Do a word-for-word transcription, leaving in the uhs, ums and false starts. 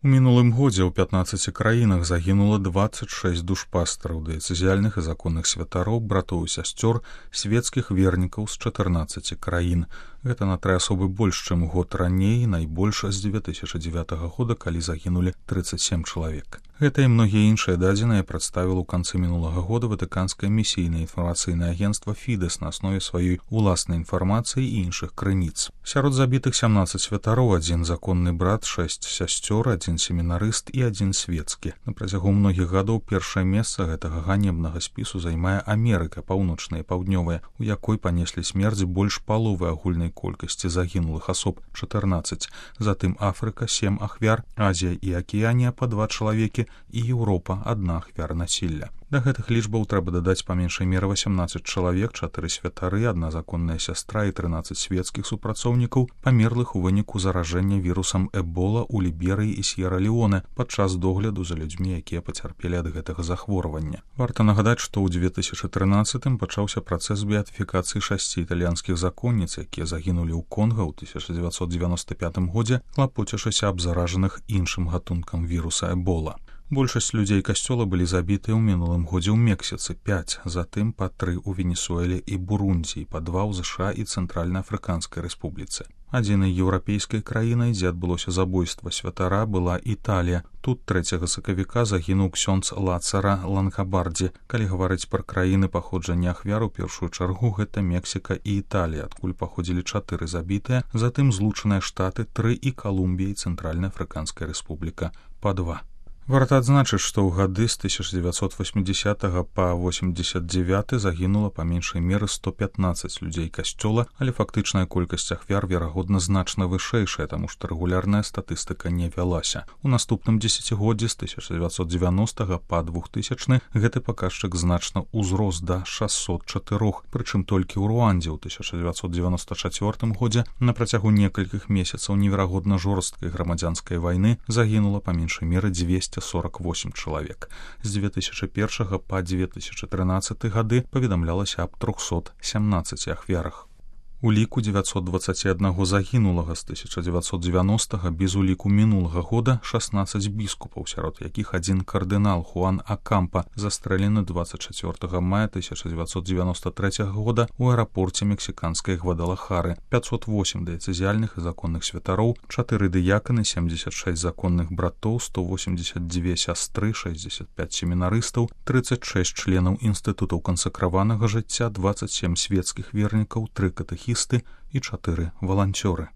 У мінулым годзе ў пятнаццаці краінах загінула дваццаць шэсць душпастараў, дыяцэзіяльных і законных святароў, братоў і сясцёр, свецкіх вернікаў з чатырнаццаці краін. Гэта на тры асобы больш, чым год раней, найбольш з дзве тысячы дзевятага года, калі загінулі трыццаць сем чалавек. Гэта і многія іншыя дадзеныя прадставіла ў канцы мінулага года ватыканскае місійнае інфармацыйнае агенцтва Фідэс на аснове сваёй уласнай інфармацыі і іншых крыніц. Сярод забітых сямнаццаць святароў, адзін законны брат, шэсць сясцёр, адзін семінарыст і адзін свецкі. На працягу многіх гадоў першае месца гэтага ганебнага спісу займае Амерыка, паўночная і паўднёвая, у якой панеслі смерць больш паловы агульнай колькасці загінулых асоб чатырнаццаць, затым Афрыка сем ахвяр, Азія і Акіянія па два чалавекі і Еўропа адна ахвяра насілля. Да гэтых лічбаў трэба дадаць па меншай меры васямнаццаць чалавек, чатыры святары, адна законная сястра і трынаццаць свецкіх супрацоўнікаў, памерлых у выніку заражэння вірусам Эбола ў Ліберыі і С'ера-Леоне падчас догляду за людзьмі, якія пацярпелі ад гэтага захворвання. Варта нагадаць, што ў дзве тысячы трынаццатым пачаўся працэс беатыфікацыі шасці італьянскіх законніц, якія загінулі ў Конга ў тысяча дзевяцьсот дзевяноста пятым годзе, клапоцячыся аб заражаных іншым гатункам віруса Эбола. Большасць людзей касцёла былі забітыя ў мінулым годзе ў Мексіцы, пяць, затым па тры ў Венесуэле і Бурундзі, па два ў ЗША і Цэнтральна-Афрыканскай рэспубліцы. Адзінай еўрапейскай краінай, дзе адбылося забойства святара, была Італія. Тут трэцяга сакавіка загінуў ксёндз Лацара Лангабардзі. Калі гаварыць пра краіны паходжання ахвяр, у першую чаргу гэта Мексіка і Італія, адкуль паходзілі чатыры забітыя, затым Злучаныя Штаты, тры і Калумбія і Цэнтральна-Афрыканская рэспубліка па два. Варта адзначыць, што ў гады з тысяча дзевяцьсот васьмідзесятага па восемьдесят девяты загінула па меншай меры сто пятнаццаць людзей касцёла, але фактычная колькасць ахвяр, верагодна, значна вышэйшая, таму што рэгулярная статыстыка не вялася. У наступным дзесяцігоддзі з тысяча дзевяцьсот дзевяностага па двухтысячны гэты паказчык значна ўзрос да шасцьсот чатырох, прычым толькі ў Руандзе ў тысяча дзевяцьсот дзевяноста чацвёртым годзе на працягу некалькіх месяцаў неверагодна жорсткай грамадзянскай вайны загінула па меншай меры дзвесце сорок восемь чалавек. З дзве тысячы першага па дзве тысячы трынаццаты гады паведамлялася аб трохсот сямнаццаці ахвярах. У ліку дзевяцьсот дваццаць адзін загінулага з тысяча дзевяцьсот дзевяностага без уліку мінулага года шаснаццаць біскупаў, сярод якіх адзін кардынал Хуан Акампа застрэлены дваццаць чацвёртага мая тысяча дзевяцьсот дзевяноста трэцяга года ў аэрапорце мексіканскай Гвадалахары, пятьсот восемь дыяцэзіяльных і законных святароў, чатыры дыяканы, семьдесят шесть законных братоў, сто восемьдесят две сястры, шестьдесят пять семінарыстаў, тридцать шесть членаў інстытутаў кансакраванага жыцця, двадцать семь свецкіх вернікаў, тры катэхісты і чатыры валанцёры.